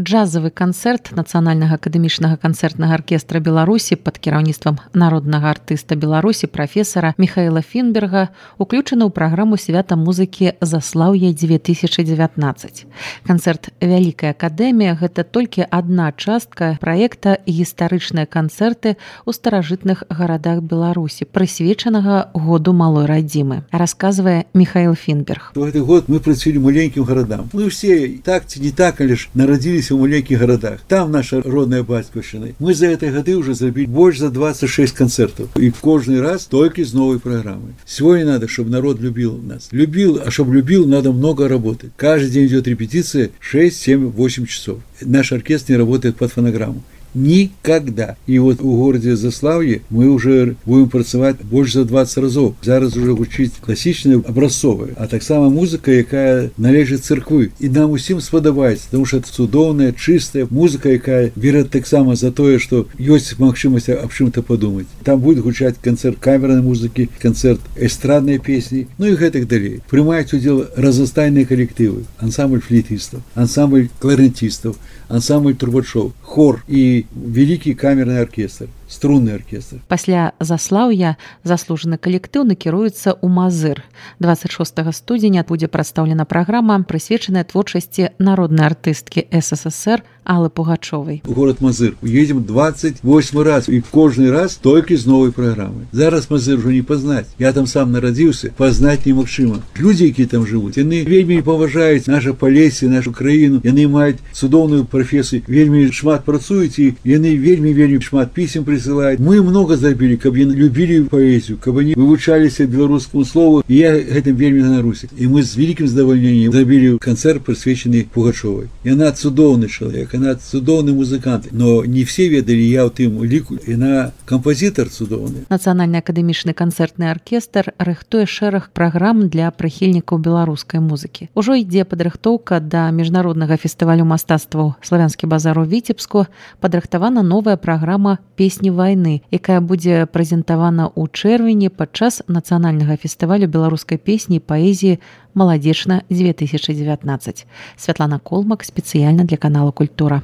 Джазавы канцэрт Нацыянальнага акадэмічнага канцэртнага аркестра Беларусі пад кіраўніцтвам народнага артыста Беларусі прафесара Михаіла Фінберга уключаны ў праграму свята музыкі «Заслаўе 2019». Канцэрт «Вялікая акадэмія» – гэта толькі адна частка праекта «Гістарычныя канцэрты ў старажытных гарадах Беларусі», прысвечанага году малой радзімы, расказвае Михаіл Фінберг. В гэты год мы працавалі маленькім гарадам. Мы ўсе так ці не так, але ж нарадзіліся у маленьких городах. Там наша родная батьківщина. Мы за эти годы уже забили больше за 26 концертов. И каждый раз только с новой программой. Сегодня надо, чтобы народ любил нас. Любил, а чтобы любил, надо много работать. Каждый день идет репетиция 6, 7, 8 часов. Наш оркестр не работает под фонограмму. Никогда. И вот у городе Заславье мы уже будем працаваць больше за 20 разов. Зараз уже гучыць классичная образцовая, а так само музыка, якая належит церквы. И нам усім сподобаецца, потому что это цудоўная, чистая музыка, якая берет так само за то, что есть магчымасць об чым-то подумать. Там будет гучаць концерт камерной музыки, концерт эстрадной песни, ну и гэтак далее. Прымаюць удзел разнастайныя коллективы, ансамбль флейтистов, ансамбль кларнетистов, ансамбль трубачоў, хор и великий камерный оркестр, струнный оркестр. Пасля заслаўя заслужаны калектыў накіруецца ў Мазыр. 26 студзеня будзе прадстаўлена праграма, прысвечаная творчасці народнай артысткі СССР Аллы Пугачёвай. В город Мазыр едем 28 раз, и каждый раз только с новой программой. Зараз Мазыр уже не познать. Я там сам народился, познать немагчыма. Люди, які там живут, яны вельмі паважаюць наше Полесье, нашу краіну, яны маюць цудоўную профессию, вельмі шмат працуюць, и яны вельмі шмат писем присылают. Мы много забили, каб яны любили поэзию, каб они вывучаліся беларускаму слову, и я гэтым вельмі ганаруся. И мы с великим задовольнением забили концерт, присвяченный Пугачёвой. И она цудоўный человек, она цудоўный музыкант, но не все ведали, я у тым ліку, яна кампазітар цудоўны. Нацыянальны акадэмічны канцэртны аркестр рыхтуе шэраг праграм для прыхільнікаў беларускай музыкі. Ужо ідзе падрыхтоўка да міжнароднага фестывалю мастацтваў «Славянскі базар» у Віцебску. Падрыхтавана новая праграма «Песні вайны», якая будзе прэзентавана ў чэрвені падчас нацыянальнага фестывалю беларускай песні і паэзіі «Маладзечна 2019». Святлана Колмак спецыяльна для канала «Культура».